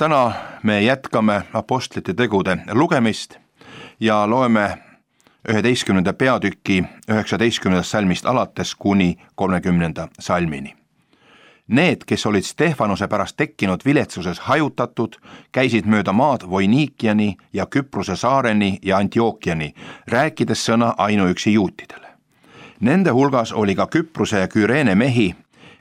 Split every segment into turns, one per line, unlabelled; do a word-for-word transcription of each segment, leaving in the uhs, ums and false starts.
täna me jätkame apostlite tegude lugemist ja loeme üheteistkümnenda peatüki üheksateistkümnendast salmist alates kuni kolmekümnenda salmini. Need, kes olid Stefanose pärast tekkinud viletsuses hajutatud, käisid mööda maad Voinikiani ja Küprose saareni ja Antiookiani, rääkides sõna ainuüksi juutidele. Nende hulgas oli ka Küprose ja Küreene mehi.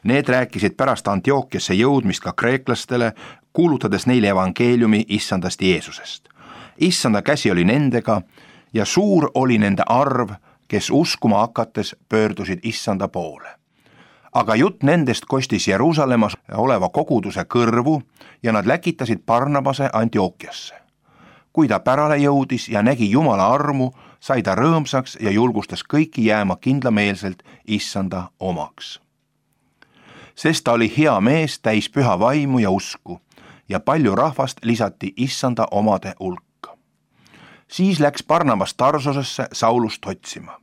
Need rääkisid pärast Antiookiasse jõudmist ka kreeklastele, kuulutades neile evangeeliumi issandast Jeesusest. Issanda käsi oli nendega ja suur oli nende arv, kes uskuma hakates pöördusid issanda poole. Aga jutt nendest kostis Jeruusalemmas oleva koguduse kõrvu ja nad läkitasid Barnabase Antiookiasse. Kui ta pärale jõudis ja nägi Jumala armu, sai ta rõõmsaks ja julgustas kõiki jääma kindlameelselt issanda omaks. Sest ta oli hea mees, täis püha vaimu ja usku ja palju rahvast lisati issanda omade hulka. Siis läks Barnabas Tarsosesse Saulust otsima.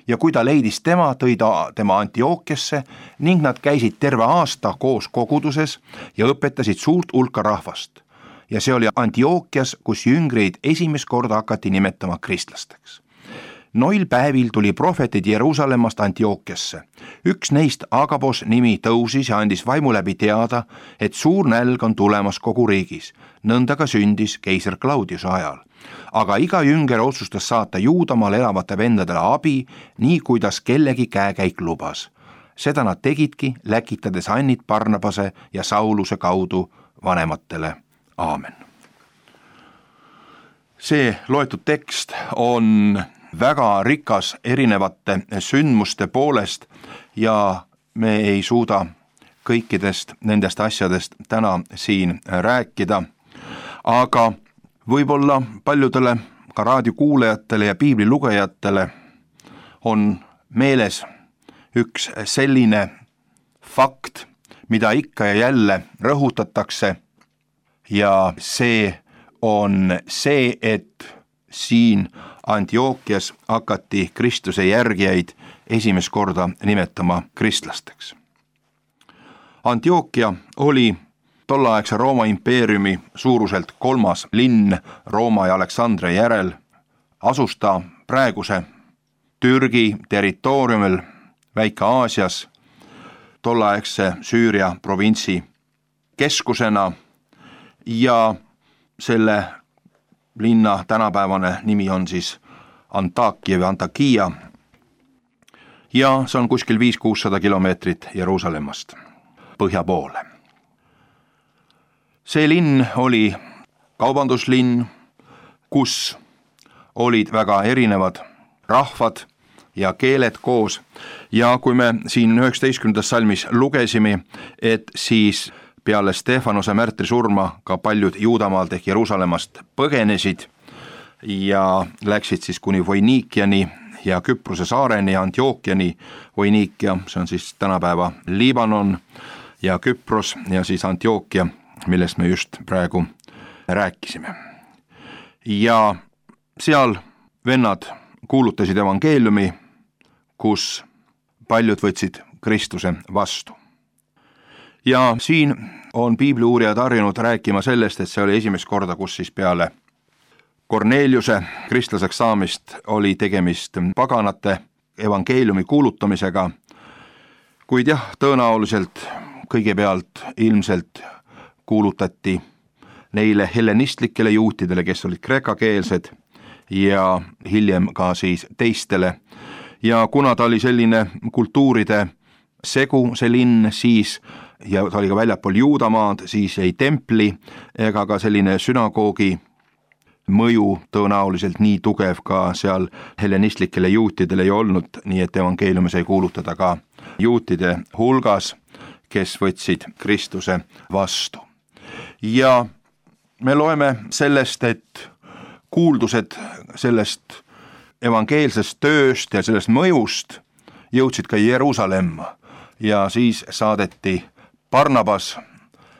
Ja kui ta leidis tema, tõi ta tema Antiookiasse ning nad käisid terve aasta koos koguduses ja õpetasid suurt hulka rahvast. Ja see oli Antiookias, kus jüngreid esimest korda hakati nimetama kristlasteks. Noil päevil tuli prohvetid Jeruusalemmast Antiookiasse. Üks neist, Agabos nimi, tõusis ja andis vaimu läbi teada, et suur nälg on tulemas kogu riigis. Nõnda ka sündis keiser Claudiuse ajal. Aga iga jünger otsustas saata Juudamaal elavate vendadele abi, nii kuidas kellegi käekäik lubas. Seda nad tegidki, läkitades annid Barnabase ja Sauluse kaudu vanematele. Aamen. See loetud tekst on väga rikas erinevate sündmuste poolest ja me ei suuda kõikidest nendest asjadest täna siin rääkida, aga võib-olla paljudele ka raadiokuulajatele ja piiblilugejatele on meeles üks selline fakt, mida ikka ja jälle rõhutatakse ja see on see, et siin Antiookias hakati Kristuse järgijaid esimest korda nimetama kristlasteks. Antiookia oli tollaaegse Rooma impeeriumi suuruselt kolmas linn Rooma ja Aleksandria järel. Asus ta praeguse Türgi territooriumil Väike-Aasias tollaaegse Süüria provintsi keskusena ja selle linna tänapäevane nimi on siis Antakia või Antakia ja see on kuskil viis kuussada kilomeetrit Jeruusalemmast põhja poole. See linn oli kaubanduslinn, kus olid väga erinevad rahvad ja keeled koos ja kui me siin üheksateistkümnendas salmis lugesime, et siis peale Stefanose märtri surma ka paljud Juudamaalt ehk Jeruusalemmast põgenesid ja läksid siis kuni Voinikiani ja Küprose saareni ja Antiookiani. Voinikia, see on siis tänapäeva Liibanon ja Küpros ja siis Antiookia, millest me just praegu rääkisime. Ja seal vennad kuulutasid evangeeliumi, kus paljud võtsid Kristuse vastu. Ja siin on piibliuurijad harjunud rääkima sellest, et see oli esimest korda, kus siis peale Korneliuse kristlaseks saamist oli tegemist paganate evangeeliumi kuulutamisega, kuid jah, tõenäoliselt kõigepealt ilmselt kuulutati neile hellenistlikele juutidele, kes olid kreekakeelsed ja hiljem ka siis teistele. Ja kuna ta oli selline kultuuride segu, see linn, siis ja ta oli ka väljapool Juudamaad, siis ei templi ega ka selline sünagoogi mõju tõenäoliselt nii tugev ka seal hellenistlikele juutidele ei olnud, nii et evangeeliumi sai kuulutada ka juutide hulgas, kes võtsid Kristuse vastu. Ja me loeme sellest, et kuuldused sellest evangeelsest tööst ja sellest mõjust jõudsid ka Jeruusalemma ja siis saadeti Barnabas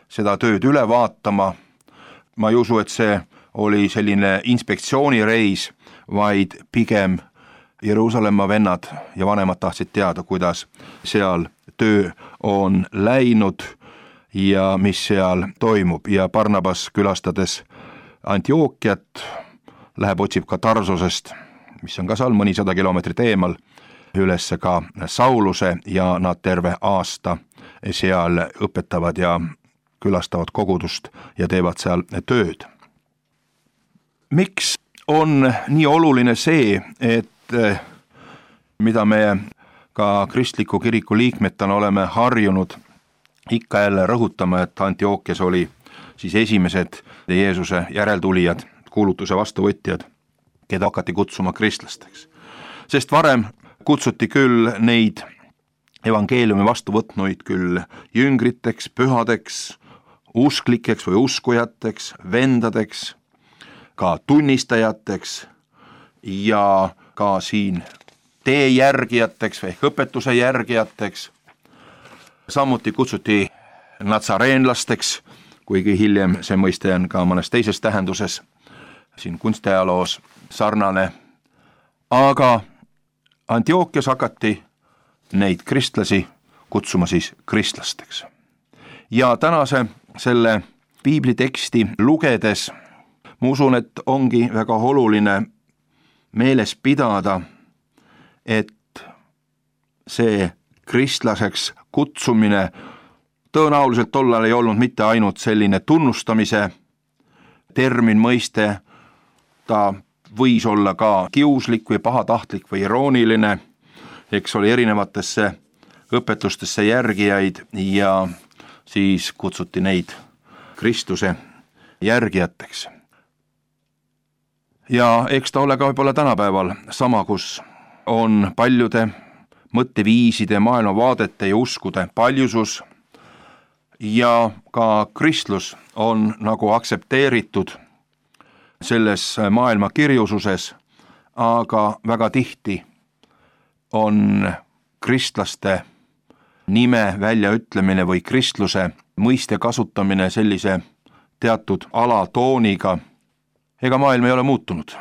seda tööd üle vaatama. Ma ei usu, et see oli selline inspektsioonireis, vaid pigem Jeruusalemma vennad ja vanemad tahtsid teada, kuidas seal töö on läinud ja mis seal toimub ja Barnabas külastades Antiookiat läheb, otsib ka Tarsosest, mis on ka seal mõnisada kilomeetrit eemal, üles ka Sauluse ja nad terve aasta seal õpetavad ja külastavad kogudust ja teevad seal tööd. Miks on nii oluline see, et mida me ka kristliku kiriku liikmetena oleme harjunud ikka jälle rõhutama, et Antiookias oli siis esimesed Jeesuse järeltulijad, kuulutuse vastuvõtjad, keda hakati kutsuma kristlasteks. Sest varem kutsuti küll neid evangeeliumi vastu võtnuid küll jüngriteks, pühadeks, usklikeks või uskujateks, vendadeks, ka tunnistajateks ja ka siin tee järgijateks ehk õpetuse järgijateks. Samuti kutsuti natsareenlasteks, kuigi hiljem see mõiste on ka mõnes teises tähenduses, siin kunstiajaloos sarnane. Aga Antiookias hakati neid kristlasi kutsuma siis kristlasteks. Ja tänase selle piibliteksti lugedes ma usun, et ongi väga oluline meeles pidada, et see kristlaseks kutsumine tõenäoliselt tollal ei olnud mitte ainult selline tunnustamise termin, mõiste, ta võis olla ka kiuslik või pahatahtlik või irooniline, eks oli erinevatesse õpetustesse järgijaid ja siis kutsuti neid Kristuse järgijateks. Ja eks ta ole ka võib-olla tänapäeval sama, kus on paljude mõtteviiside, maailmavaadete ja uskude paljusus ja ka kristlus on nagu aktsepteeritud selles maailma kirjususes, aga väga tihti on kristlaste nime väljaütlemine või kristluse mõiste kasutamine sellise teatud alatooniga. Ega maailm ei ole muutunud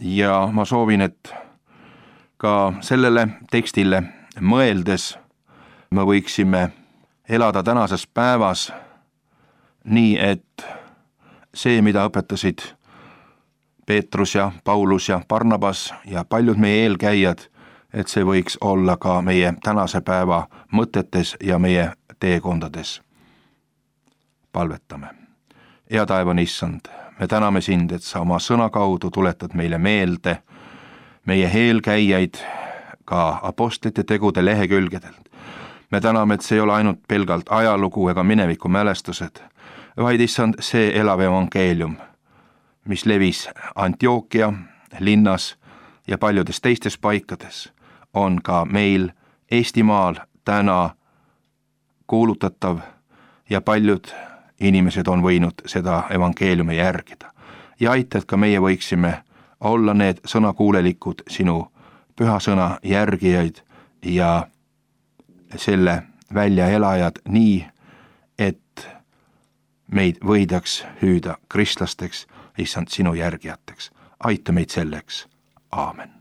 ja ma soovin, et ka sellele tekstile mõeldes me võiksime elada tänases päevas nii, et see, mida õpetasid Peetrus ja Paulus ja Barnabas ja paljud meie eelkäijad, et see võiks olla ka meie tänase päeva mõtetes ja meie teekondades. Palvetame. Hea taevane Issand, me täname sind, et sa oma sõna kaudu tuletad meile meelde meie eelkäijaid ka apostlite tegude lehekülgedelt. Me täname, et see ei ole ainult pelgalt ajalugu ega mineviku mälestused, vaid Issand, see elav evangeelium, mis levis Antiookia linnas ja paljudes teistes paikades, on ka meil Eestimaal täna kuulutatav ja paljud inimesed on võinud seda evangeeliumi järgida. Ja aita, et ka meie võiksime olla need sõnakuulelikud sinu püha sõna järgijaid ja selle väljaelajad nii, et meid võidaks hüüda kristlasteks, Issand, sinu järgijateks. Aita meid selleks. Aamen.